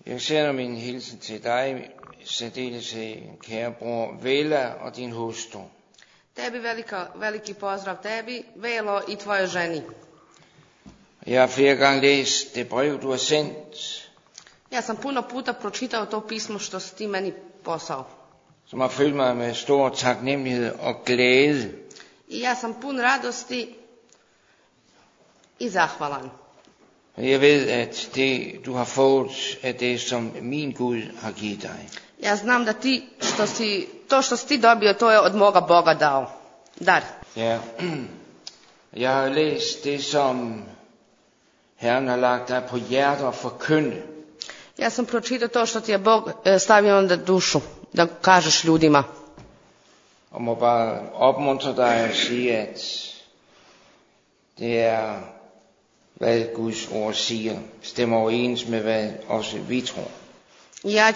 Jeg sender min hilsen til dig, særdeles kære bror Vela og din hustru. Tebi veliki pozdrav tebi, Velo i tvojoj ženi. Jeg har flere gange læst det brev, du har sendt, Ja sam puno puta pročitao to pismo što si ti meni poslao. som har fyldt mig med stor taknemmelighed og glæde. I ja sam pun radosti i zahvalan. Jeg ved, at det, du har fået, er det, som min Gud har givet dig. Ja znam da ti, što si ti dobio, to je od moga Boga dao. Dar. Ja, jeg har læst det, som Herren har lagt dig på hjertet at forkynde. Ja sam pročitao to što ti je Bog stavio na dušu, da kažeš ljudima. Og må bare opmuntre dig og sige, at det er, hvad Guds ord siger, stemmer overens med, hvad også vi tror. Ja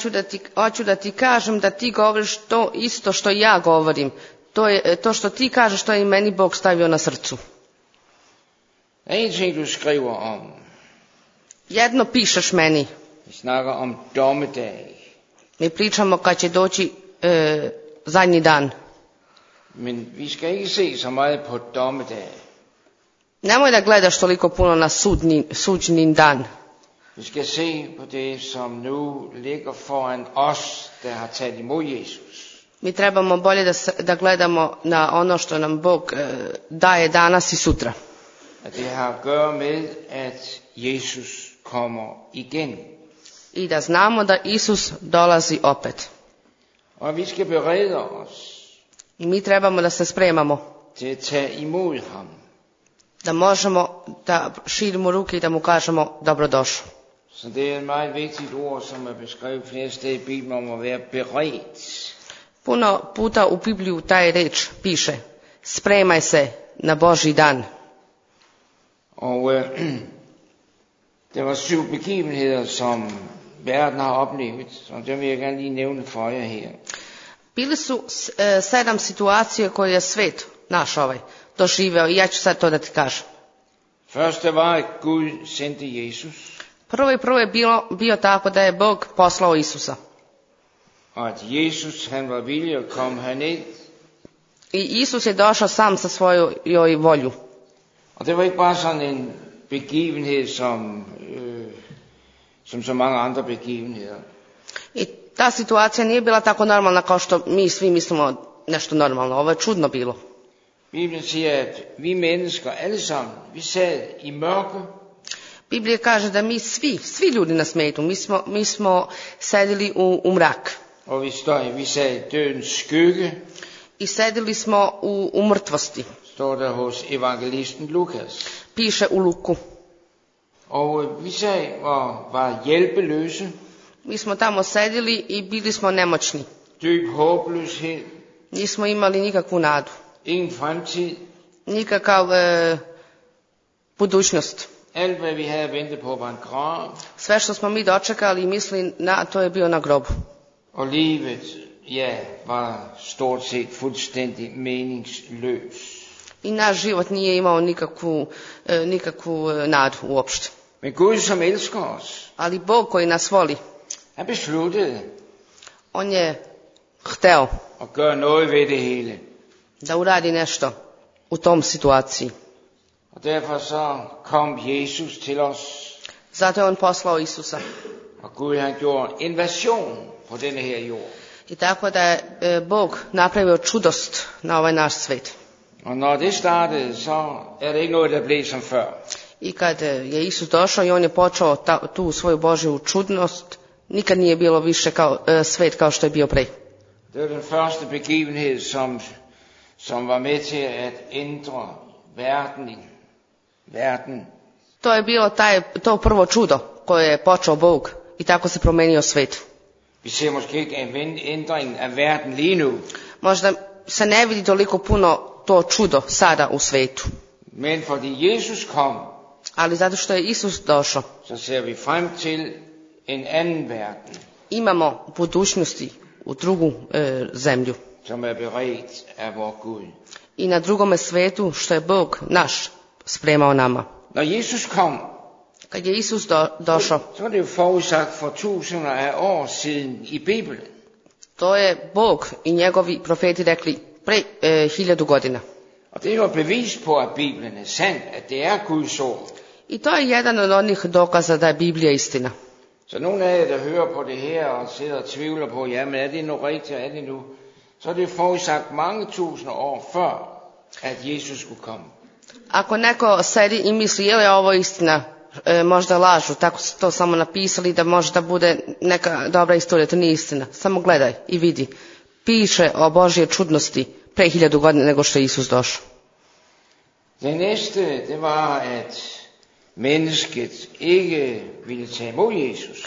hoću da ti kažem da ti govoriš to isto što ja govorim. To što ti kažeš, to je i meni Bog stavio na srcu. Der er en ting, du skriver om. Jedno pišeš meni. Vi snakker om dommedag. Mi pričamo kad će doći zadnji dan. Men vi skal ikke se så meget på dommedag. Nemoj da gledaš toliko puno na suđni dan. Vi skal se på det, som nu ligger foran os, der har taget imod Jesus. Mi trebamo bolje da gledamo na ono što nam Bog daje danas i sutra. At det har at gøre med, at Jesus kommer igen. I da znamo da Isus dolazi opet. Og vi skal berede os I mi trebamo da se spremamo. til at tage imod ham. Da možemo da širimo ruke i da mu kažemo dobrodošao. Så det er et meget vigtigt ord, som er beskrevet flere steder i Bibelen, om at være beredt. Puno puta u Bibliju taj reč piše: spremaj se na Božji dan. Og der var 7 begivenheder, som verden har oplevet, og dem vil jeg gerne lige nævne for jer her. Bili su 7 situacije koje je svet naš doživeo i ja ću sad to da ti kažem. Første var, at Gud sendte Jesus, Prvo je bio tako da je Bog poslao Isusa. og at Jesus, han var villig at komme herned. I Isus je došao sam sa svojoj volju. Og det var ikke bare sådan en begivenhed, som så mange andre begivenheder. I ta situacija nije bila tako normalna kao što mi svi mislimo nešto normalno. Ovo je čudno bilo. Bibelen siger, at vi mennesker alle sammen, vi sad i mørke, Biblija kaže da mi svi ljudi na svijetu, mi smo sedili u mrak. og vi sad i dødens skygge, I sedili smo u mrtvosti. står der hos evangelisten Lukas. Piše u Luku. Og vi sad og var hjælpeløse, Mi smo tamo sedili i bili smo nemoćni. dyb håbløshed, Nismo imali nikakvu nadu. ingen fremtid. Nikakav budućnost. Alt hvad vi havde ventet på var en grav, Sve što smo mi dočekali i mislili na to je bio na grobu. og livet, ja, var stort set fuldstændig meningsløs. I naš život nije imao nikakvu nadu uopšte. Men Gud, som elsker os, Ali Bog koji nas voli, han besluttede on je hteo at gøre noget ved det hele. da uradi nešto u tom situaciji. Og derfor så kom Jesus til os, Zato je on poslao Isusa. og Gud han gjorde invasion på denne her jord. I tako da je Bog napravio čudost na ovaj naš svet. Og når det startede, så er det ikke noget, der blev som før. I kad je Isus došao i on je počeo tu svoju Božju čudnost, nikad nije bilo više svet kao što je bio pre. Det var den første begivenhed, som var med til at ændre verden. To je bilo to prvo čudo koje je počeo Bog i tako se promenio svet. Vi ser måske ikke ændringen af verden lige nu, Možda se ne vidi toliko puno to čudo sada u svetu. men fordi Jesus kom, Ali zato što je Isus došao, så ser vi frem til en anden verden, imamo budućnosti u drugu zemlju. som er beredt af vor Gud. I na drugome svetu što je Bog naš spremao nama. Når Jesus kom, Kad je Isus došao, så er det jo forudsagt for tusinder af år siden i Bibelen. to je Bog i njegovi profeti rekli pre 1000 godina. Og det er jo et bevis på, at Bibelen er sandt, at det er Guds ord. I to je jedan od onih dokaza da je Biblija istina. Så nogle af jer, der hører på det her og sidder og tvivler på, jamen er det nu rigtigt, er det nu? Så er det forudsagt mange tusinder år før, at Jesus skulle komme. Ako neko sedi i misli je li ovo istina, možda lažu, tako su to samo napisali da možda bude neka dobra istorija, to nije istina. Samo gledaj i vidi. Piše o Božje čudnosti pre 1000 godina nego što je Isus došao. Det næste, det var, at mennesket ikke ville tage imod Jesus.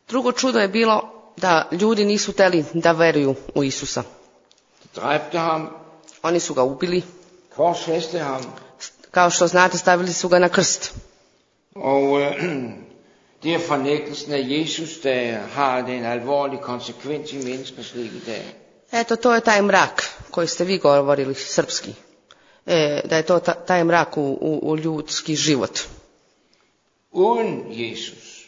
Drugo čudo je bilo da ljudi nisu teli da veruju u Isusa. De dræbte ham, Oni su ga ubili, korsfæste ham, kao što znate stavili su ga na krst. og det er fornægtelsen af Jesus, der har den alvorlige konsekvens i menneskers liv i dag. Eto, to je taj mrak koji ste vi govorili srpski. Da je to taj mrak u ljudski život. Uden Jesus,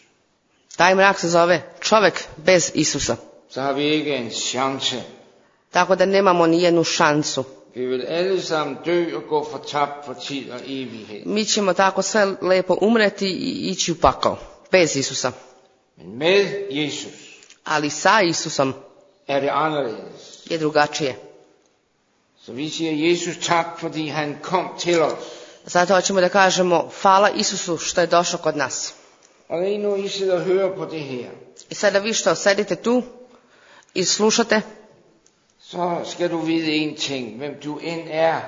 Taj mrak se zove čovjek bez Isusa. så har vi ikke en chance. Tako da nemamo ni jednu šansu. Vi vil alle sammen dø og gå fortabt for tid og evighed. Mi ćemo tako sve lepo umreti i ići u pakao. Bez Isusa. Men med Jesus Ali sa Isusom er det anderledes. je drugačije. Så vi siger Jesus tak, fordi han kom til os. Zato hoćemo da kažemo hvala Isusu što je došao kod nas. Og lige nu I sidder og hører på det her, I sada vi što sedite tu i slušate, så skal du vide en ting, hvem du end er.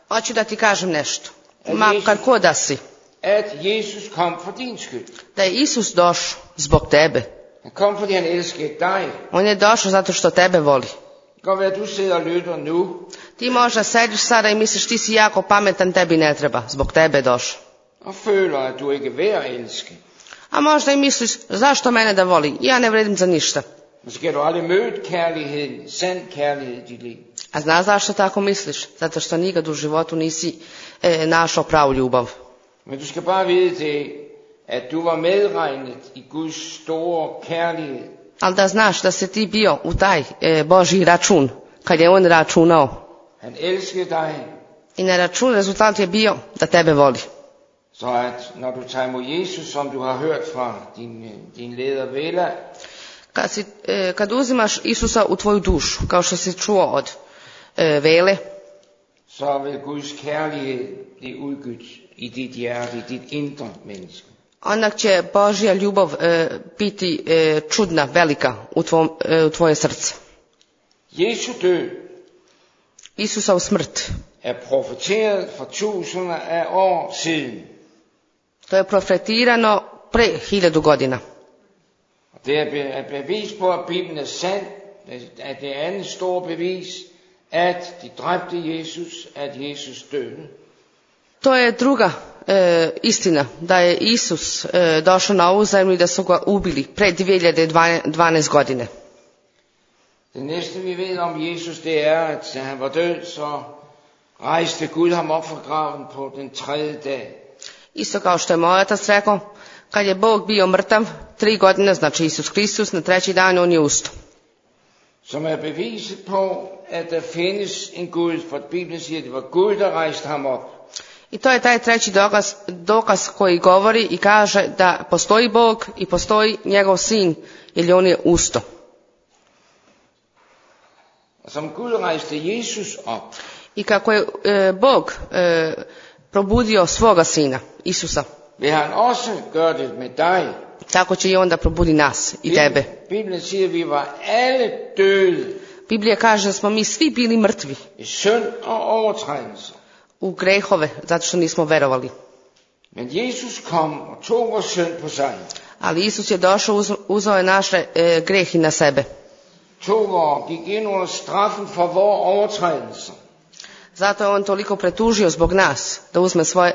hoću da ti kažem nešto. Makar ko da si. At Jesus kom for din skyld. Da je Isus došao zbog tebe. Han kom, fordi han elskede dig. On je došao zato što tebe voli. Det kan godt være, at du sidder og lytter nu, Ti možda sediš sada i misliš ti si jako pametan, tebi ne treba. Zbog tebe je došao. og føler, at du ikke er værd at elske. A možda i misliš zašto mene da voli? Ja ne vredim za ništa. Måske har du aldrig mødt kærligheden, sand kærlighed i dit liv. A znaš zašto tako misliš? Zato što nikad u životu nisi našao pravu ljubav. Men du skal bare vide det, at du var medregnet i Guds store kærlighed. Ali da znaš da si ti bio u taj Božji račun, kad je on računao. Han elskede dig, I na račun rezultat je bio da tebe voli. så at når du tager imod Jesus, som du har hørt fra din leder Vela, Kad uzimaš Isusa u tvoju dušu, kao što si čuo od Vele, så vil Guds kærlighed blive udgydt i dit hjerte, i dit indre menneske. onda će Božja ljubav biti čudna, velika u tvoje srce. Jesu død Isusa u smrt. er profeteret for tusinder af år siden. To je profetirano pre 1000 godina. Og det er et bevis på, at Bibelen er sand. At det andet store bevis, at de dræbte Jesus, at Jesus døde. To je druga istina, da je Isus došao na ovu zemlju i da su ga ubili pre 2012 godine. Det næste vi ved om Jesus, det er, at da han var død, så rejste Gud ham op fra graven på den 3. dag. Isto kao što je moj otac rekao, kad je Bog bio mrtav 3 godine, znači Isus Hristos, na 3. dan on je ustao. Som er beviset på, at der findes en Gud, for Bibelen siger, at det var Gud, der rejste ham op. I to je taj treći dokaz koji govori i kaže da postoji Bog i postoji njegov sin, jer on je ustao. Og som Gud rejste Jesus op, I kako je Bog probudio svoga sina, Isusa, vil han også gøre det med dig. tako će i onda probudi nas i tebe. Bibelen siger, at vi var alle døde Biblija kaže da smo mi svi bili mrtvi i synd og overtrædelser. u grehove, zato što nismo verovali. Men Jesus kom og tog vores synd på sig. Ali Isus je došao, uzeo je naše grehi na sebe. Gik ind under straffen for vores overtrædelser. Zato je on toliko pretužio zbog nas,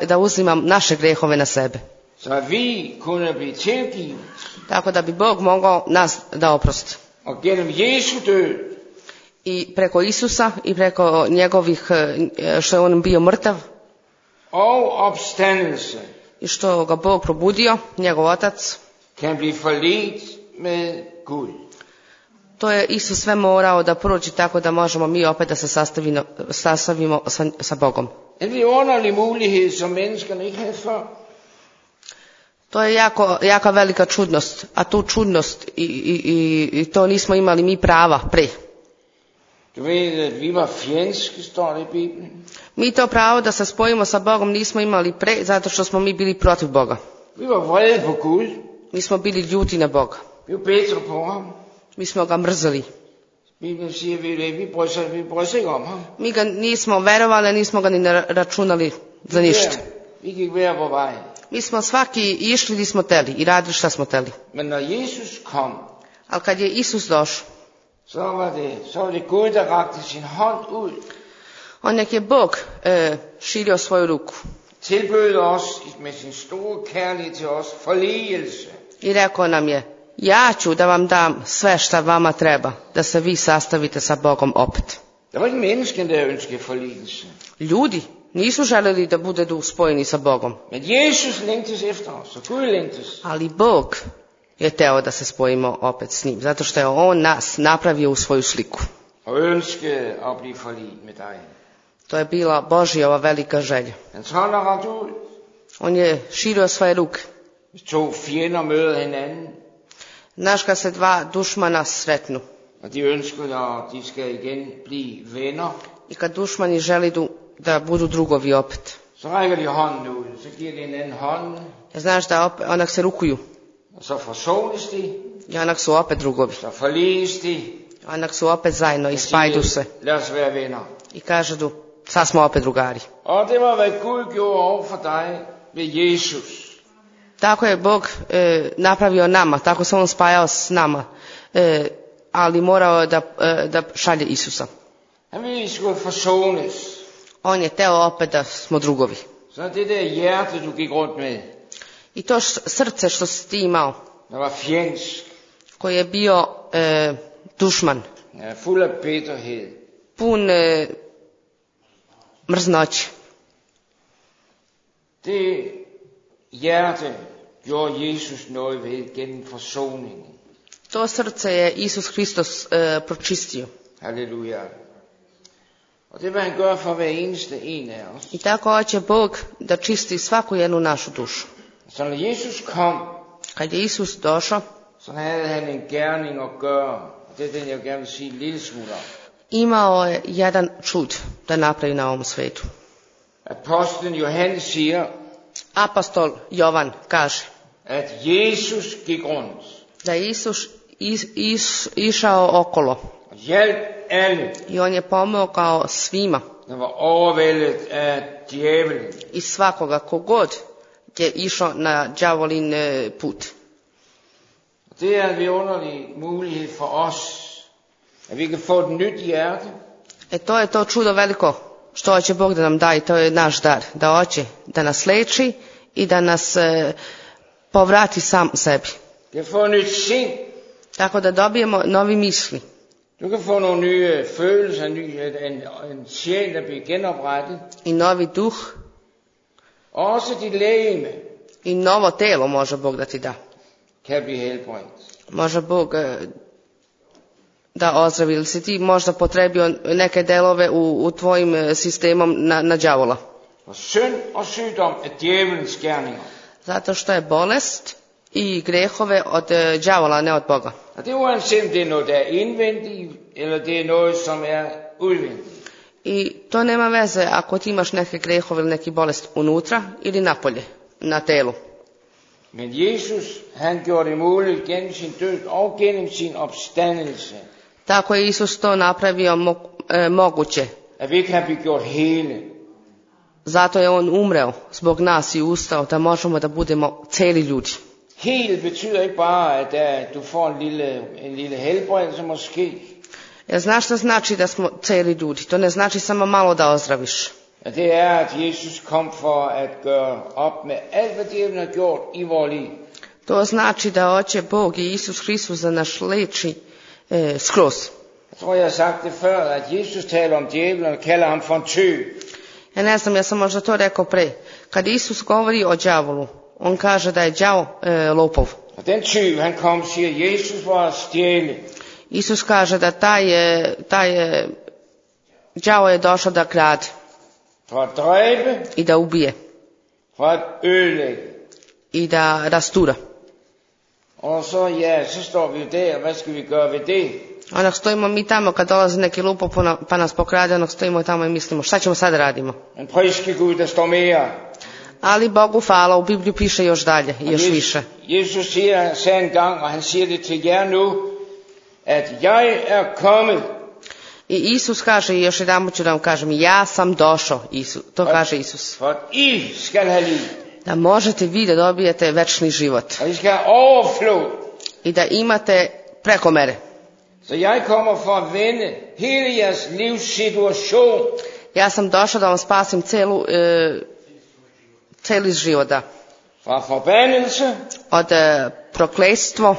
da uzima naše grehove na sebe. Så vi kunne blive tilgivet. Tako da bi Bog mogao nas da oprosti. Og gennem Jesu død, I preko Isusa i preko njegovih, što je on bio mrtav, og opstandelse, i što ga Bog probudio, njegov otac, kan blive forliget med Gud. to je Isus sve morao da prođe tako da možemo mi opet da se sastavimo sa Bogom. En vidunderlig mulighed, som menneskerne ikke havde før. To je jaka velika čudnost, a tu čudnost i to nismo imali mi prava pre. Du ved, at vi var fjendske, står det i Bibelen. Mi to pravo da se spojimo sa Bogom nismo imali pre, zato što smo mi bili protiv Boga. Vi var vrede på Gud. Mi smo bili ljuti na Boga. Vi var bedre på ham. Mi smo ga mrzeli. Bibelen siger, vi bryder sig ikke om ham. Mi ga nismo verovali, nismo ga ni računali za ništa. Vi gik hver vor vej. Mi smo svaki išli gdje smo teli i radili šta smo teli. Men når Jesus kom, Ali kad je Isus došao, så var det Gud, der rakte sin hånd ud. on nek je Bog širio svoju ruku Tilbød os med sin store kærlighed til os forligelse. i rekao nam je, ja ću da vam dam sve šta vama treba, da se vi sastavite sa Bogom opet. Der var ikke mennesken, der ønskede forligelse. Ljudi nisu želeli da budu spojeni sa Bogom, Men Jesus længtes efter os, og Gud længtes. ali Bog je teo da se spojimo opet s njim, zato što je on nas napravio u svoju sliku. Og ønskede at blive forliget med dig. To je bila Božjova velika želja. Hans hånd er rakt ud. On je širio svoje ruke. Hvis to fjender møder hinanden, Znaš kad se dva dušmana sretnu og de ønsker, at de skal igen blive venner, i kad dušmani želi da budu drugovi opet. så rækker de hånden ud. Så giver de hinanden hånden, Znaš da onak se rukuju og så forsones de, i onak su opet drugovi. så forliges de, Onak su opet zajedno i spajdu se lad os være venner. i kažu sad smo opet drugari. Og det var, hvad Gud gjorde over for dig ved Jesus. Tako je Bog napravio nama, tako se on spajao s nama, ali morao da šalje Isusa. Han ville, I skulle forsones. On je teo opet da smo drugovi. Så det der hjerte, du gik rundt med, I to srce što si ti imao, der var fjendsk, koji je bio dušman, fuld af bitterhed, pun mrznoće. det hjerte gjorde Jesus noget ved gennem forsoningen. To srce je Isus Hristos pročistio. Halleluja. Og det vil han gøre for hver eneste en af os. I tako hoće Bog da čisti svaku jednu našu dušu. Så når Jesus kom, Kad je Isus došao, så havde han en gerning at gøre. Og det er den, jeg gerne vil sige en lille smule om. imao je jedan čud da napravi na ovom svetu. Apostlen Johannes siger, Apostol Jovan kaže at Jesus gik rundt da je Isus išao okolo og hjalp alle, i on je pomogao svima der var overvældet af djævelen. i svakoga kogod je išao na đavolin put. Det er en vidunderlig mulighed for os, at vi kan få et nyt hjerte, To je to čudo veliko što hoće Bog da nam da i to je naš dar. Da hoće da nas leči i da nas povrati sam sebi. vi kan få et nyt sind, Tako da dobijemo novi misli. du kan få nogle nye følelser, en sjæl, der bliver genoprettet, I novi duh og også dit legeme i novo telo može Bog da ti da. kan blive helbredt. Može Bog da ozdravi. Ili si ti možda potrebio neke delove u tvojim sistemom na đavola. Og synd og sygdom er djævelens gerninger. Zato što je bolest i grehove od đavola, ne od Boga. Og det er uanset om det er noget, der er indvendigt, eller det er noget, som er udvendigt. I to nema veze ako ti imaš neke grehove ili neki bolest unutra ili napolje, na telu. Men Jesus, han gjorde det muligt gennem sin død og gennem sin opstandelse, Tako je Isus to napravio moguće. at vi kan blive gjort hele. Zato je on umreo zbog nas i ustao da možemo da budemo celi ljudi. Helt betyder ikke bare, at du får en lille helbredelse måske. Jer znaš što znači da smo celi ljudi? To ne znači samo malo da ozdraviš. At det er, at Jesus kom for at gøre op med alt, hvad djævlen har gjort i vores liv. To znači da hoće Bog i Isus Hristos da nas leči skroz. Jeg tror, jeg har sagt det før, at Jesus taler om djævlen og kalder ham for en tyv. Ja ne znam, ja sam možda to rekao pre. Kad Isus govori o đavolu, on kaže da je đavo lopov. Og den tyv, han kom og siger, Jesus var at stjæle, Isus kaže da taj đavo je došao da krade for at dræbe, i da ubije for at ødelægge. i da rastura. Og så, ja, så står vi jo der, hvad skal vi gøre ved det? Onak stojimo mi tamo kad dolazi neki lupov pa nas pokrade, onak stojimo tamo i mislimo šta ćemo sad radimo. Men priske Gud, der står mere. Ali Bogu hvala, u Bibliju piše još dalje, još više. Jesus sagde en gang, og han siger det til jer nu, at jeg er kommet. I Isus kaže, i još jedan ću da vam kažem, ja sam došao, to kaže Isus. For at I skal have liv. Da možete vi da dobijete večni život. Og I skal have overflod. I da imate preko mere. Så jeg kommer for at vende hele jeres livssituation. Ja sam došao da vam spasim celi život, da. Fra forbandelse Od prokletstvo,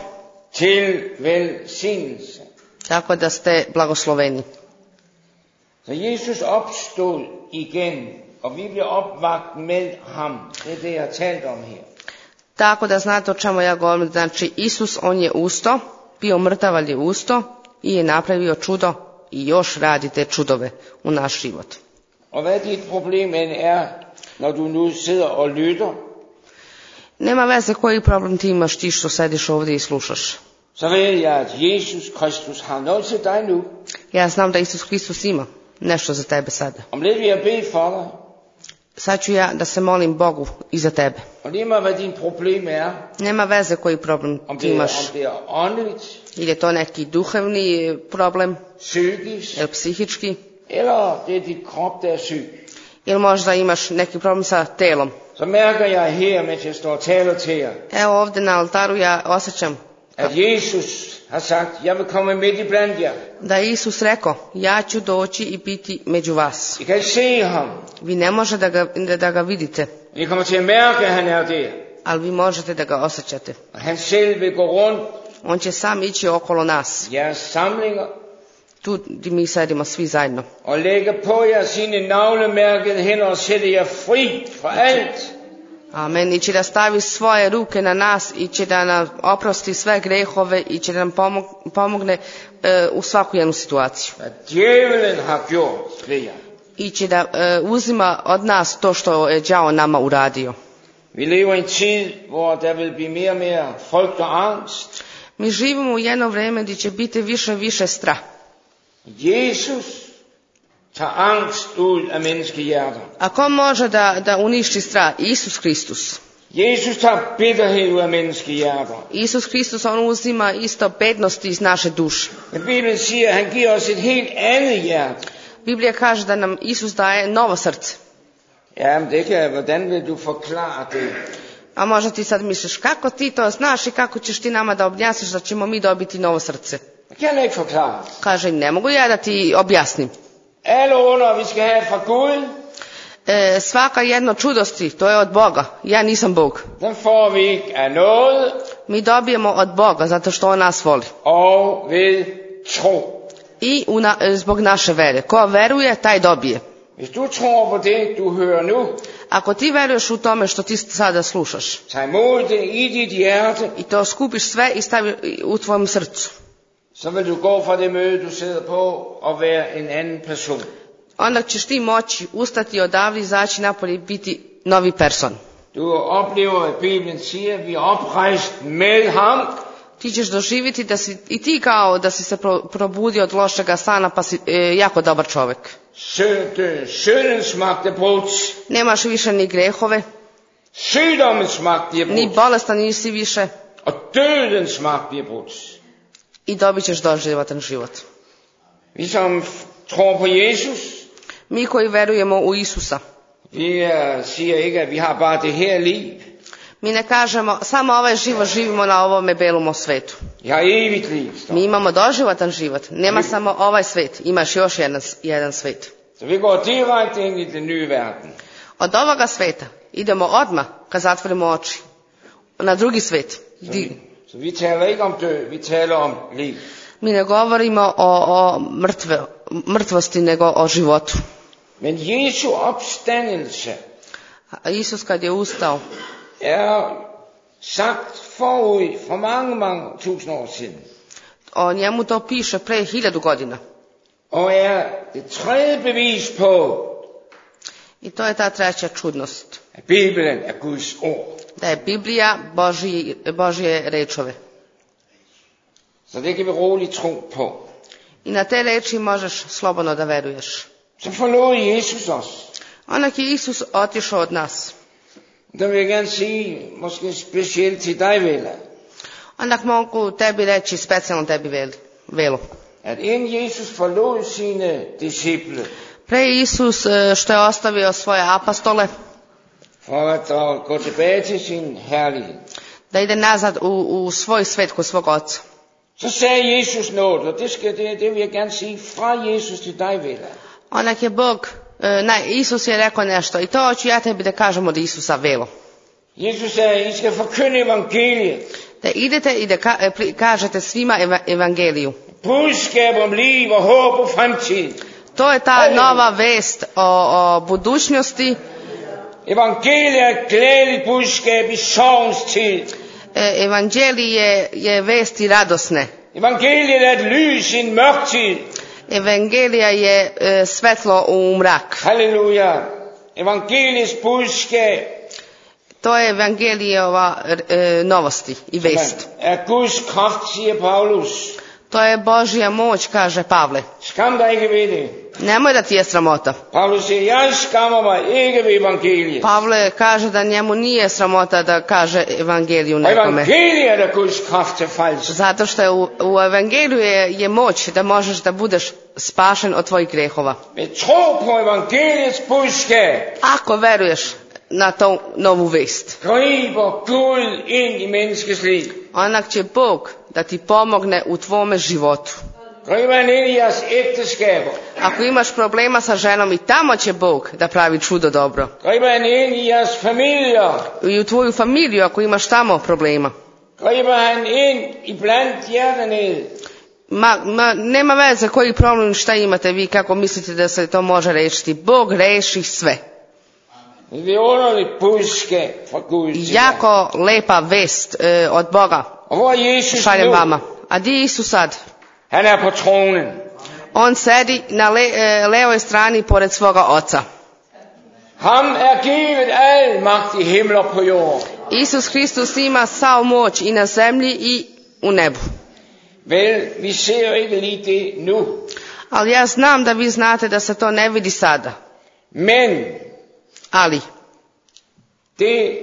til velsignelse. tako da ste blagosloveni. Så Jesus opstod igen, og vi bliver opvakt med ham. Det er det, jeg har talt om her. Tako da znate o čemu ja govorim. Znači Isus, on je usto, bio mrtav, ali je usto i je napravio čudo i još radi te čudove u naš život. Og hvad dit problem end er, når du nu sidder og lytter, Nema veze koji problem ti imaš, ti što sediš ovdje i slušaš. så ved jeg, at Jesus Kristus har noget til dig nu. Ja znam da Isus Hristos ima nešto za tebe sada. Om lidt vil jeg bede for dig, Sad ću ja da se molim Bogu i za tebe. og lige meget hvad din problem er, Nema veze koji problem om ti det imaš. er åndeligt, Ili je to neki duhovni problem, psykisk, ili psihički, eller det er dit krop, der er syg. ili možda imaš neki problem sa telom. Så mærker jeg her, mens jeg står og taler til jer, Evo ovdje na altaru ja osjećam at Jesus har sagt, jeg vil komme midt i blandt jer. da je Isus rekao, ja ću doći i biti među vas. I kan ikke se ham, Vi ne možete da ga vidite, I kommer til at mærke, at han er der. ali vi možete da ga osjećate. Og han selv vil gå rundt On će sam ići okolo nas, i jeres samlinger, tu gdje mi sedimo svi zajedno. og lægge på jer sine navlemærkede hænder og sætte jer fri fra alt. Amen. I će da stavi svoje ruke na nas i će da nam oprosti sve grehove i će da nam pomogne u svaku jednu situaciju. Hvad djævelen har gjort ved jer. I će da uzima od nas to što je đavo nama uradio. Vi lever i en tid, hvor der vil blive mere og mere frygt og angst. Mi živimo u jedno vrijeme gdje će biti više strah. Jesus tager angst ud af menneskehjerter. A ko može da uništi strah? Isus Hristus. Jesus tager bitterhed ud af menneskehjerter. Isus Hristus, on uzima isto bednosti iz naše duše. Men Bibelen siger, at han giver os et helt andet hjerte. Biblija kaže da nam Isus daje novo srce. Ja, men det kan, hvordan vil du forklare det? A možda ti sad misliš, kako ti to znaš i kako ćeš ti nama da objasniš da ćemo mi dobiti novo srce? Det kan jeg ikke forklare. Kaže, ne mogu ja da ti objasnim. Alle under, vi skal have fra Gud, Svaka jedno čudosti, to je od Boga. Ja nisam Bog. den får vi ikke af noget Mi dobijemo od Boga zato što on nas voli. og ved tro. I zbog naše vere. Ko veruje, taj dobije. Hvis du tror på det, du hører nu, Ako ti veruješ u tome što ti sada slušaš tag imod det i dit hjerte, i to skupiš sve i stavi u tvojom srcu, så vil du gå fra det møde, du sidder på, og være en anden person. onda ćeš ti moći ustati odavde, izaći napolje i biti novi person. Du oplever, at Bibelen siger, at vi er oprejst med ham, Ti ćeš doživjeti da si i ti kao da si se probudio od lošega sana pa si jako dobar čovjek. syndens magt er brudt, Nemaš više ni grehove, sygdommens magt er ni brudt, bolestan nisi više og dødens magt er brudt. i dobit ćeš doživatan život. Vi som tror på Jesus, Mi koji verujemo u Isusa, vi siger ikke, at vi har bare det her liv. mi ne kažemo samo ovaj život živimo na ovome belom svetu. Vi har evigt liv. Mi imamo doživatan život. Nema samo ovaj svet, imaš još jedan svet. Så vi går direkte ind i den nye verden. Od ovoga sveta idemo odmah kad zatvorimo oči na drugi svet. Så vi taler ikke om død, vi taler om liv. Mi ne govorimo o mrtvosti, nego o životu. Men Jesu opstandelse Isus kad je ustao, sagt forud for mange, mange tusind år siden. o njemu to piše pre 1000 godina. Og det tredje bevis på, I to je ta treća čudnost. at Bibelen er Guds ord. Da je Biblija Božje rečove. Så det kan vi roligt tro på. I na te reči možeš slobodno da veruješ. Så forlod Jesus os. Onak je Isus otišao od nas. Der vil jeg gerne sige, måske specielt til dig, Vela, Onak mogu tebi reći, specijalno tebi Velo. at inden Jesus forlod sine disciple, Pre Isus što je ostavio svoje apostole, for at gå tilbage til sin herlighed, da ide nazad u svoj svet kod svog oca. så sagde Jesus noget, og det vil jeg gerne sige fra Jesus til dig, Vela. Onak je Isus je rekao nešto i to hoću ja tebi da kažem od Isusa, Velo. Jesus sagde, I skal forkynde evangeliet. Da idete i da kažete svima evangeliju. Budskab om liv og håb og fremtid. To je ta nova vest o budućnosti. Evangeliet er et glædeligt budskab i sorgens tid. Evangelije je vesti radosne. Evangeliet er et lys i en mørk tid. Evangelija je svetlo u mrak. Halleluja. Evangeliets budskab To je Evangelijova novosti i vest. er Guds kraft, siger Paulus. To je Božja moć, kaže Pavle. Skam dig ikke ved det. Nemoj da ti je sramota. Paulus siger, jeg skammer mig ikke ved evangeliet. Pavle kaže da njemu nije sramota da kaže evangeliju Og nekome. evangeliet er Guds kraft til frelse. Zato što je u evangeliju je moć da možeš da budeš spašen od tvojih grehova. Med tro på evangeliets budskab Ako veruješ na tu novu vest, griber Gud ind i menneskets liv. onak će Bog da ti pomogne u tvome životu. Griber han ind i jeres ægteskaber. Ako imaš problema sa ženom, i tamo će Bog da pravi čudo dobro. Griber han ind i jeres familier. I u tvoju familiju ako imaš tamo problema. Griber han ind i blandt jer dernede. Nema veze koji problem, šta imate vi, kako mislite da se to može rešiti. Bog reši sve. Det er underligt budskab fra Gud til jer. Jako lepa vest od Boga Og hvor er Jesus šaljem nu? vama. A di je Isus sad? Han er på tronen. On sedi na levoj strani pored svoga oca. Ham er givet al magt i himmel og på jord. Isus Hristos ima sav moć i na zemlji i u nebu. Vel, vi ser jo ikke lige det nu. Ali ja znam da vi znate da se to ne vidi sada. Men Ali det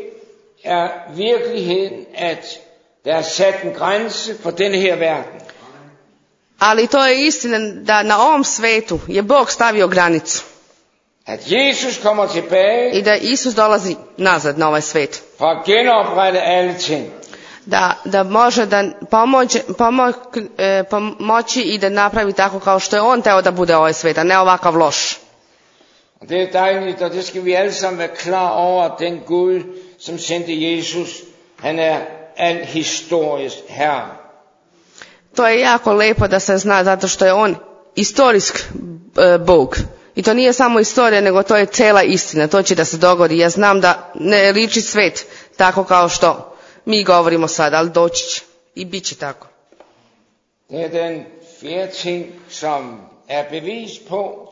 er virkeligheden, at der er sat en grænse for denne her verden. Ali to je istina da na ovom svetu je Bog stavio granicu. At Jesus kommer tilbage I da Isus dolazi nazad na ovaj svet. for at genoprette alle ting. Da može da pomoći i da napravi tako kao što je on teo da bude ovaj svet, a ne ovakav loš. Og det er dejligt, og det skal vi alle sammen være klar over, at den Gud, som sendte Jesus, han er al historisk herre. To je jako lepo da se zna, zato što je on istorijsk Bog. I to nije samo istorija, nego to je cela istina. To će da se dogodi. Ja znam da ne liči svet tako kao što mi govorimo sad, ali doći će. I bit će tako. Det er den fjerde ting, som er bevis på,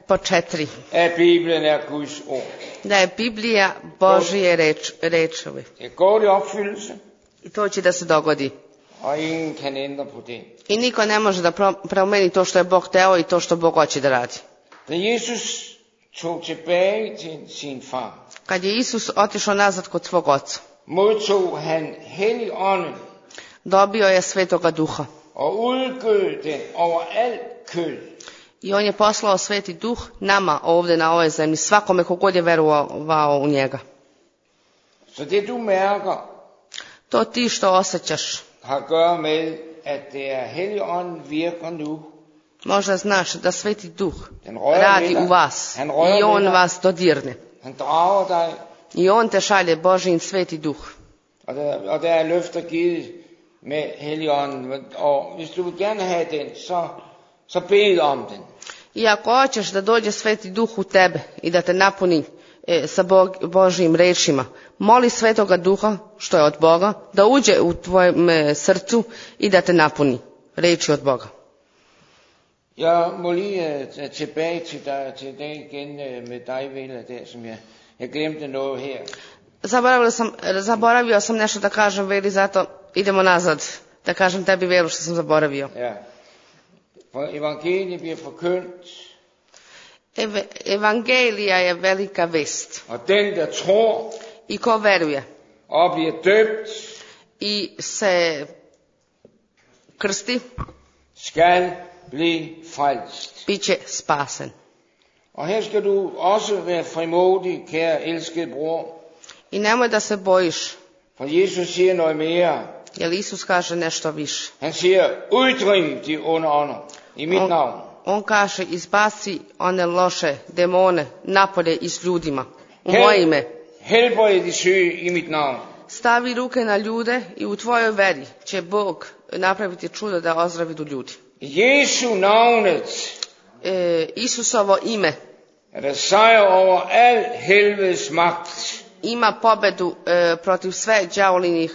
Po četiri. at Bibelen er Guds ord. Da je Biblija Božije rečove. Det går i opfyldelse, I to će da se dogodi. og ingen kan ændre på det. I niko ne može da promeni to što je Bog teo i to što Bog hoće da radi. Da Jesus tog tilbage til sin far, Kad je Isus otišao nazad kod svog oca, modtog han Helligånden dobio je Svetoga Duha. og udgød den over alt kød. I on je poslao Sveti Duh nama ovdje na ovoj zemlji, svakome kogod je verovao u njega. Så det du mærker, To ti što osjećaš, har at gøre med, at det er Helligånden virker nu. možda znaš da Sveti Duh Den rører radi ved dig. u vas Han rører i ved on dig. vas dodirne. Han drager dig, I on te šalje Božin Sveti Duh. og der er løfter givet med Helligånden. Og hvis du vil gerne have den, så bed om den. I ako hoćeš da dođe Sveti Duh u tebe i da te napuni sa Božjim rečima, moli Svetoga Duha, što je od Boga, da uđe u tvojem srcu i da te napuni reči od Boga. Jeg må lige tilbage til det igen med dig, Vela, der, som jeg glemte noget her. Zaboravio sam nešto da kažem, Veli, zato idemo nazad. Da kažem tebi, Velu, što sam zaboravio. Ja. For evangeliet bliver forkyndt. Evangelija je velika vest. Og den, der tror I ko veruje og bliver døbt, i se krsti, skal blive frelst. bit će spasen. Og her skal du også være frimodig, kære elskede bror. I nemoj da se bojiš, For Jesus siger noget mere. jer Isus kaže nešto više. Han siger, uddriv de onde ånder i mit navn. On kaže, izbaci one loše demone napolje iz ljudima, u moje ime. Helbred de syge i mit navn. Stavi ruke na ljude i u tvojoj veri će Bog napraviti čudo da ozdravi ljudi. I Jesu navnet Isusovo ime er der sejr over al helvedes magt. ima pobedu protiv sve đavolinih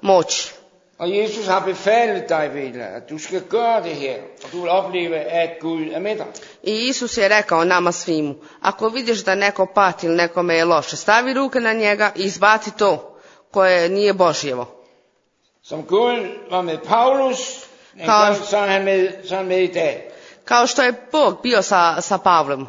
moći. Og Jesus har befalet dig, Vela, at du skal gøre det her, og du vil opleve, at Gud er med dig. I Isus je rekao nama svimu, ako vidiš da neko pati ili nekome je loše, stavi ruke na njega i izbaci to koje nije Božjevo. Som Gud var med Paulus, så er han med i dag. Kao što je Bog bio sa Pavlom,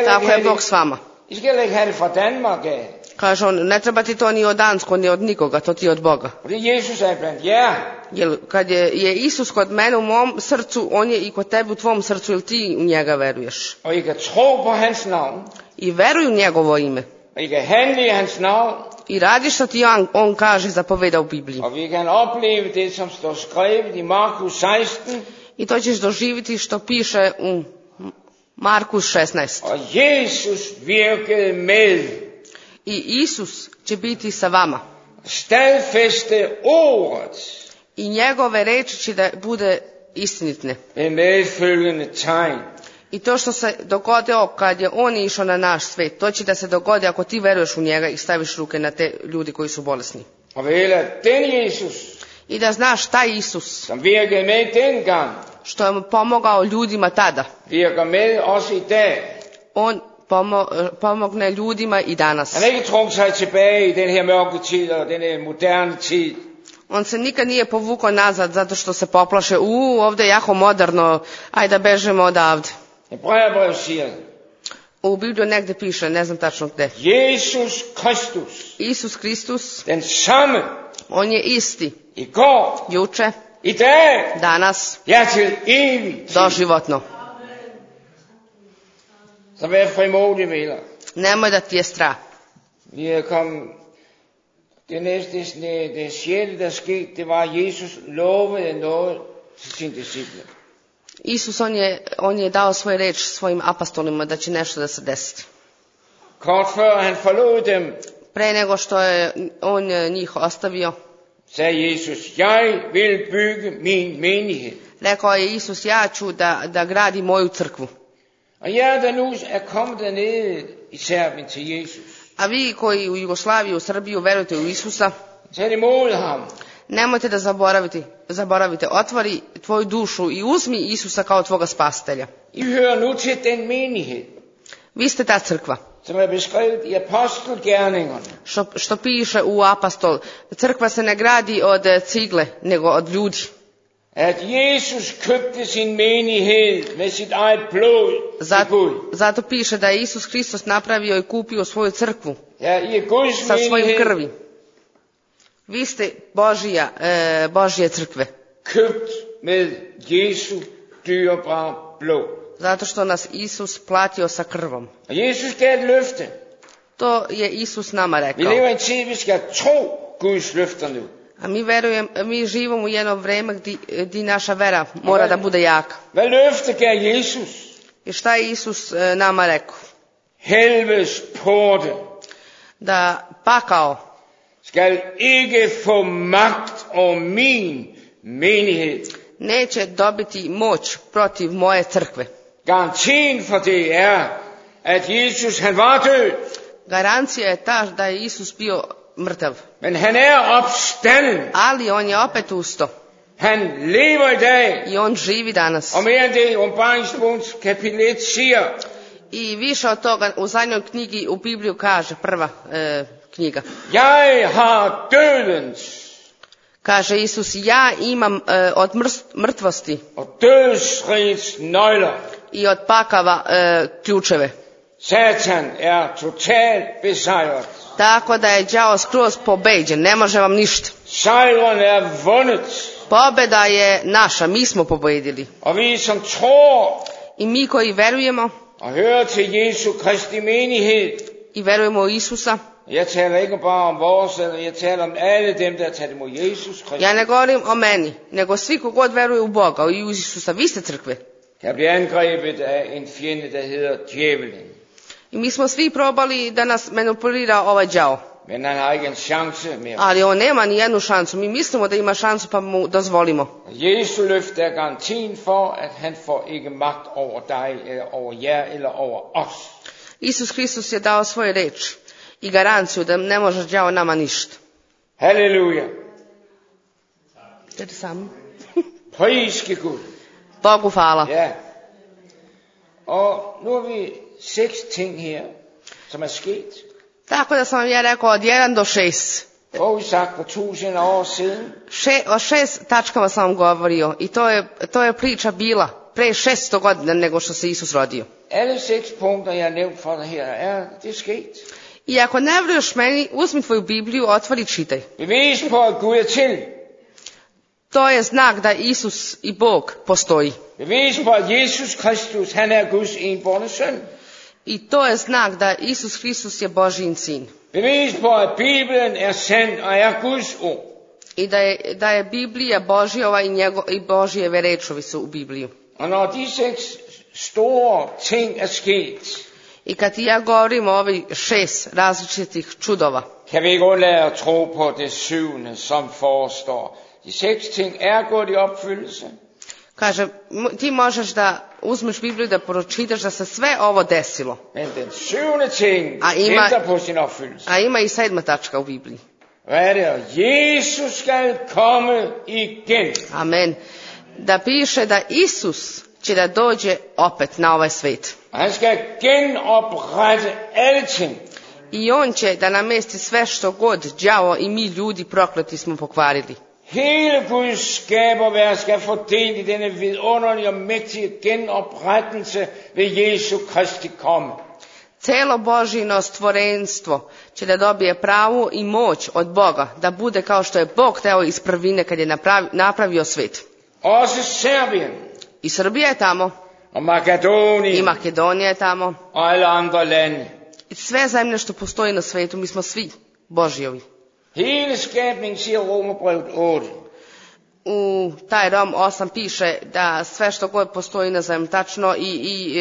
tako je Bog s vama. I skal ikke have det fra Danmark af. Kaže on, ne treba ti to ni od Dansko, ni od nikoga, to ti od Boga. For det Jesus er blandt jer. Jer kad je Isus kod mene u mom srcu, on je i kod tebe u tvom srcu, ili ti u njega veruješ. Og I kan tro på hans navn. I veruj u njegovo ime. Og I kan handle i hans navn. I radi što ti on kaže, zapoveda u Bibliji. Og vi kan opleve det, som står skrevet i Markus 16. I to ćeš doživjeti što piše u Markus 16. Og Jesus virkede med. I Isus će biti sa vama. Stadfæste ordet. I njegove reči će da bude istinitne. Med medfølgende tegn. I to što se dogodilo kad je on išao na naš svet, to će da se dogodi ako ti veruješ u njega i staviš ruke na te ljudi koji su bolesni. Og Vela, den Jesus, I da znaš taj Isus, som virkede med dengang, što je pomogao ljudima tada, virker med også i dag. on pomogne ljudima i danas. Han har ikke trukket sig tilbage i den her mørke tid og den her moderne tid. On se nikad nije povukao nazad zato što se poplaše, ovdje je jako moderno, ajde da bežemo odavde. Hebræerbrevet siger, U Bibliju negdje piše, ne znam tačno gde. Jesus Kristus, Isus Kristus, den samme, on je isti, i går, juče, i dag, danas, ja til evig tid. doživotno. Så vær frimodig, Vela. Nemoj da ti je strah. Vi er kommet, det sjette, der skete, det var, at Jesus lovede noget til sine disciple. Isus, on je dao svoj reč svojim apostolima da će nešto da se desi. Kort før han forlod dem, Pre nego što je on njih ostavio, sagde Jesus, jeg vil bygge min menighed. rekao je Isus, ja ću da gradi moju crkvu. Og jer, der nu er kommet dernede i Serbien til Jesus, A vi koji u Jugoslaviji, u Srbiju verujete u Isusa, tag imod ham. nemojte da zaboravite, otvori tvoju dušu i uzmi Isusa kao tvoga spasitelja. I hører nu til den menighed, Vi ste ta crkva, som er beskrevet i apostelgerningerne. što piše u apostol. Crkva se ne gradi od cigle, nego od ljudi. At Jesus købte sin menighed med sit eget blod til Gud. Zato piše da je Isus Hristos napravio i kupio svoju crkvu Ja, I er Guds sa svojim menighed, krvi. Vi ste Božje crkve, købt med Jesu dyrebare blod. zato što nas Isus platio sa krvom. Og Jesus gav et løfte. To je Isus nama Vi rekao. lever i en tid, vi skal tro Guds løfter nu. A mi živimo u jedno vreme gdje naša vera mora da bude jaka. Hvad løfte gav Jesus? I šta je Isus nama rekao? Helvedes porte Da pakao skal ikke få magt over min menighed. neće dobiti moć protiv moje crkve. Garantien for det er, at Jesus han var død, Garancija je ta da je Isus bio mrtav, men han er opstanden. ali on je opet usto Han lever i dag, i on živi danas. og mere end det, Åbenbaringsbogens kapitel 1 siger, I više od toga u zadnjoj knjigi u Bibliju kaže, prva knjiga. jeg har dødens Kaže Isus, ja imam od mrtvosti og dødsrigets nøgler. i od pakava ključeve. Satan er totalt besejret. Tako da je đavo skroz pobeđen, ne može vam ništa. Sejren er vundet, Pobjeda je naša, mi smo pobedili. og vi som tror I mi koji verujemo og hører til Jesu Kristi menighed, i verujemo u Isusa, jeg taler ikke bare om vores, jeg taler om alle dem, der har taget imod Jesus Kristus, ja ne govorim o meni, nego svi kogod veruje u Boga i u Isusa, vi ste crkve. kan blive angrebet af en fjende, der hedder djævelen. I mi smo svi probali da nas manipulira ovaj đavo. Men han har ikke en chance mere. Ali on nema ni jednu šansu. Mi mislimo da ima šansu pa mu dozvolimo. Jesu løfte er garantien for, at han får ikke magt over dig, eller over jer, eller over os. Isus Hristos je dao svoju reč i garanciju da ne može đavo nama ništa. Halleluja. Det er det samme. Priske Gud. Bogu hvala. Ja. Og nu har vi 6 ting her, som er sket. Tako da sam vam ja rekao od 1 do 6. Forudsagt for 1000 år siden. O 6 tačkama sam vam govorio i to je priča bila pre 600 godina nego što se Isus rodio. Alle 6 punkter, jeg har nævnt for dig her, det er sket. I ako ne veruješ meni, uzmi tvoju Bibliju, otvori i čitaj. Bevis på, at Gud er til. To je znak da Isus i Bog postoji. Bevis på, at Jesus Kristus, han er Guds enbårne søn. I to je znak da Isus Hristos je Božjin sin. Bevis på, at Bibelen er sand og er Guds ord. I da je Biblija Božjova i Božjeve rečovi su u Bibliju. Og når de 6 store ting er sket, I kad ja govorim o ovih 6 različitih čudova, kan vi ikke undlade at tro på det 7. som forestår. De 6 ting er gået i opfyldelse. kaže, ti možeš da uzmeš Bibliju da pročitaš da se sve ovo desilo. Men den 7. ting A ima- venter på sin opfyldelse. A ima i 7. tačka u Bibliji. Hvad er det? Jesus skal komme igen. Amen. Da piše da Isus će da dođe opet na ovaj svet. Og han skal genoprette alle ting. I on će da namesti sve što god đavo i mi ljudi prokleti smo pokvarili. Hele Guds skaberværk skal få del i denne vidunderlige og mægtige genoprettelse ved Jesu Kristi komme. Celo Božino stvorenstvo će da dobije pravu i moć od Boga, da bude kao što je Bog hteo iz prvine kad je napravio svet. Også Serbien I Srbija je tamo, og Makedonien i Makedonija je tamo, og alle andre lande. i sve zemlje što postoji na svetu, mi smo svi Božjovi. Hele skabningen siger Romerbrevet 8. U taj Rom 8 piše da sve što god postoji na zemlji, tačno i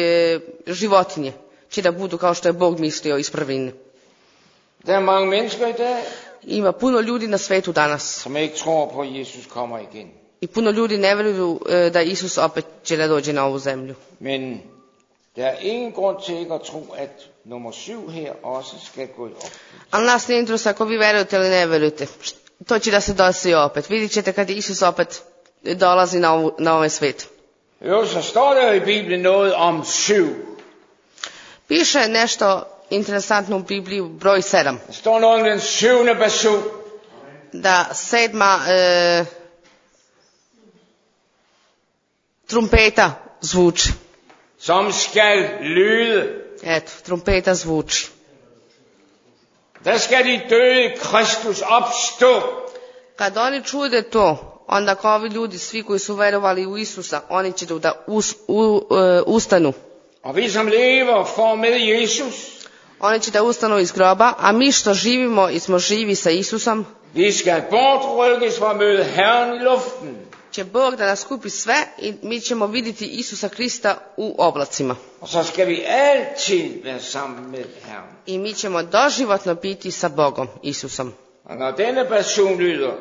životinje, će da budu kao što je Bog mislio iz prvine. Der er mange mennesker i dag, Ima puno ljudi na svetu danas som ikke tror på, at Jesus kommer igen. i puno ljudi ne vjeruju da Isus opet će da dođe na ovu zemlju. Men der er ingen grund til ikke at tro, at nummer 7 her også skal gå i opfyldelse. Ali nas ne interesuje ako vi verujete ili ne verujete. To će da se desi opet. Vidjet ćete kad Isus opet dolazi na ovaj svet. Jo, så står der jo i Bibelen noget om 7. Piše nešto interesantno u Bibliji, broj 7. Der står noget om den 7. person. Da 7. Trumpeta zvuči. Som skal lyde. Eto, trumpeta zvuči. Der skal de døde Kristus opstå. Kad oni čude to, onda kao ovi ljudi, svi koji su verovali u Isusa, oni će da ustanu. Og vi som lever får med Jesus. Oni će da ustanu iz groba, a mi što živimo i smo živi sa Isusom, Vi skal bortrykkes for at møde Herren i luften. će Bog da nas kupi sve i mi ćemo vidjeti Isusa Krista u oblacima. Og så skal vi altid være sammen med Herren. I mi ćemo doživotno biti sa Bogom, Isusom. Og når denne person lyder,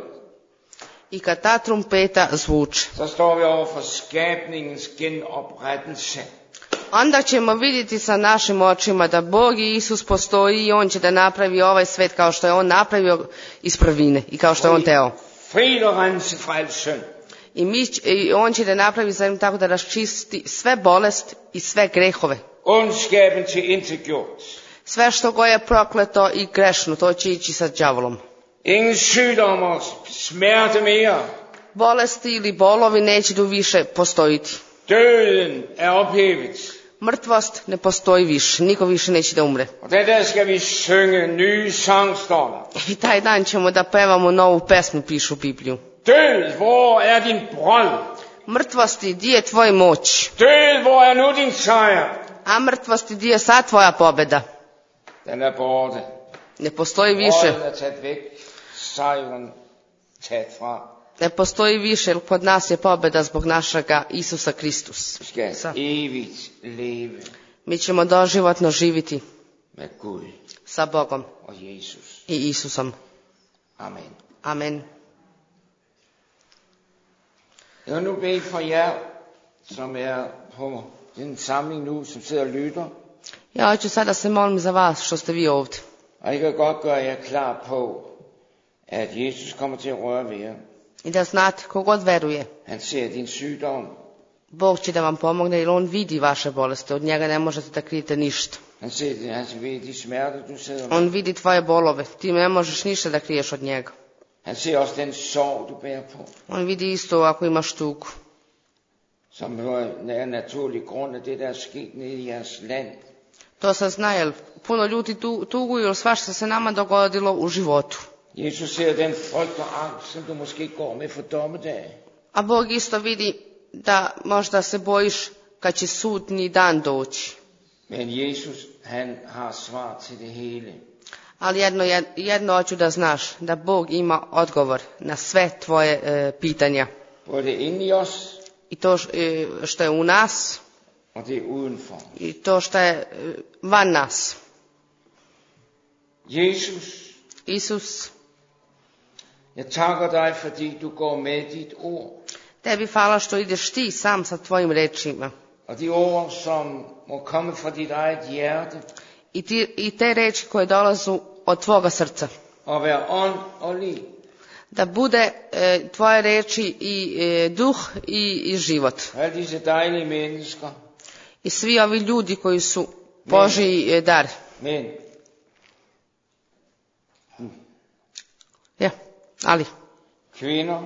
I kad ta trumpeta zvuči, så står vi over for skabningens genoprettelse. onda ćemo vidjeti sa našim očima da Bog i Isus postoji i On će da napravi ovaj svet kao što je On napravio iz prvine i kao što je On teo. Fri og rense fra al synd. I On će da napravi zemlju tako da raščisti sve bolest i sve grehove. Ondskaben tilintetgjort. Sve što go je prokleto i grešno, to će ići sa đavolom. Ingen sygdom og smerte mere. Bolesti ili bolovi neće tu više postojiti. Døden er ophævet. Mrtvost ne postoji više, niko više neće da umre. Og den der skal vi synge nye sang, står der. I taj dan ćemo da pevamo novu pesmu, pišu u Bibliju. Død, hvor er din brød? Mrtvosti, di je tvoj moć? Død, hvor er nu din sejr? A mrtvosti, di je sad tvoja pobjeda? Den er borte. Ne postoji više. Brødet er taget væk. Sejren taget fra. Ne postoji više, jer kod nas je pobjeda zbog našega Isusa Kristus. Vi skal evigt leve Mi ćemo doživotno živiti med Gud sa Bogom og Jesus. i Isusom. Amen. Amen. Jeg vil nu bede for jer, som er på den samling nu, som sidder og lytter. Ja hoću sada se molim za vas što ste vi ovdje. Og jeg kan godt gøre jer klar på, at Jesus kommer til at røre ved jer. I da znate, kogod veruje, Han ser din sygdom. Bog će da vam pomogne jer On vidi vaše bolesti. Od njega ne možete da krijete ništa. Han ved de smerter, du sidder med. On vidi tvoje bolove. Ti ne možeš ništa da kriješ od njega. Han ser også den sorg, du bærer på. On vidi isto ako imaš tugu. Som er naturlig grund af det, der er sket nede i jeres land. To se zna, jer puno ljudi tuguju, jer svašta se nama dogodilo u životu. Jesus ser den frygt og angst, som du måske går med for dommedag. A Bog isto vidi da možda se bojiš kad će sudni dan doći. Men Jesus, han har svar til det hele. Ali jedno hoću da znaš, da Bog ima odgovor na sve tvoje pitanja. Både inde i os, I to što je u nas, og det udenfor. i to što je van nas. Jesus, Isus, jeg takker dig, fordi du går med dit ord. tebi hvala što ideš ti sam sa tvojim rečima. Og de ord, som må komme fra dit eget hjerte, I te reči koje dolazu od tvoga srca. og være ånd og liv. Da bude tvoje reči i duh i život. Alle disse dejlige mennesker. I svi ovi ljudi koji su Božji dar. Men Ja, ali kvinder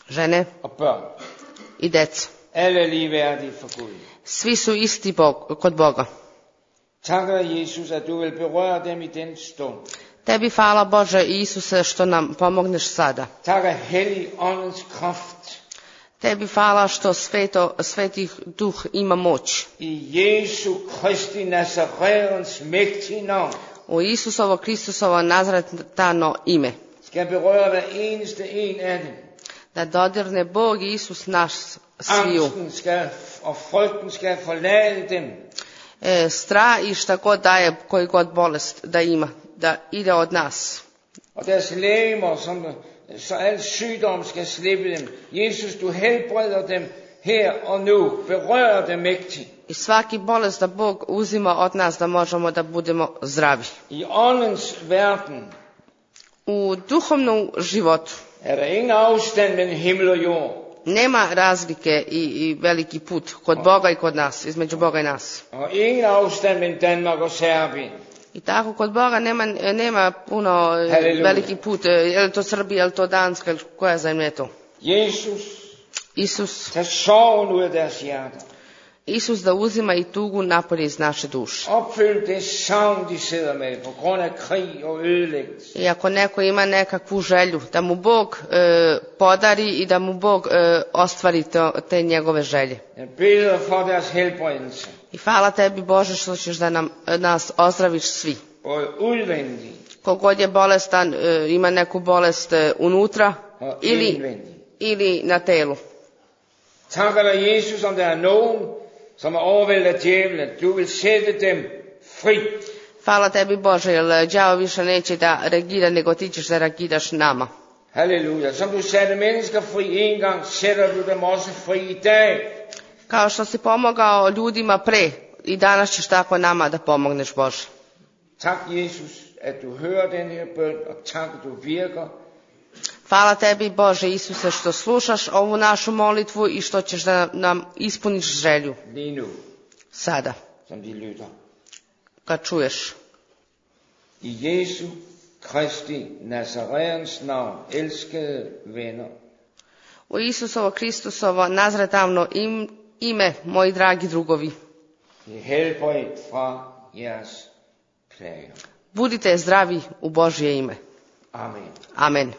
žene og børn, i deca. alle er ligeværdige for Gud. Svi su isti kod Boga. Takker Jesus, at du vil berøre dem i den stund. Tebi hvala Bože i Isuse što nam pomogneš sada. Takker Hellig Åndens kraft. Tebi hvala što svetih duh ima moć. I Jesu Kristi Nazarens mægtige navn. U Isusovo Kristusovo Nazaretano ime. Skal berøre hver eneste en af dem. Da dodirne Bog i Isus naš sviju. Angsten skal, og frygten skal forlade dem. Strah i šta god daje, koji god bolest da ima, da ide od nas. Og deres lægemer, så al sygdom skal slippe dem. Jesus, du helbreder dem her og nu. Berør dem mægtigt. I svaki bolest da Bog uzima od nas da možemo da budemo zdravi. I åndens verden U duhovnom životu er der ingen afstand mellem himmel og jord. nema razlike i veliki put kod Boga i kod nas, između Boga i nas. Og ingen afstand mellem Danmark og Serbien. I tako kod Boga nema puno Halleluja. veliki put, je li to Srbija, je li to Danska, ili koja zemlja je to? Isus, tag sorgen ud af deres hjerter. Isus da uzima i tugu napolje iz naše duše. Opfyld det savn, de sidder med på grund af krig og ødelæggelse. I ako neko ima nekakvu želju, da mu Bog podari i da mu Bog ostvari te njegove želje. Jeg beder for deres helbredelse. I hvala tebi Bože što ćeš da nas ozdraviš svi. Både udvendig Kogod je bolestan, ima neku bolest unutra og indvendig. ili na telu. Takker dig, Jesus, om der er nogen, som er overvældet af djævlen. Du vil sætte dem fri. Hvala tebi Bože, jer đavo više neće da reagira, nego ti ćeš da reagiraš nama. Halleluja. Som du satte mennesker fri en gang, sætter du dem også fri i dag. Kao što si pomogao ljudima pre, i danas ćeš tako nama da pomogneš, Bože. Tak, Jesus, at du hører den her bøn, og tak, at du virker. Hvala tebi, Bože Isuse, što slušaš ovu našu molitvu i što ćeš da nam ispuniš želju. Lige nu, Sada, som de lytter. kad čuješ. I Jesu Kristi Nazareans navn, elskede venner, U Isusovo Kristusovo nazretavno ime, moji dragi drugovi. det helbred fra jeres plager. Budite zdravi u Božje ime. Amen. Amen.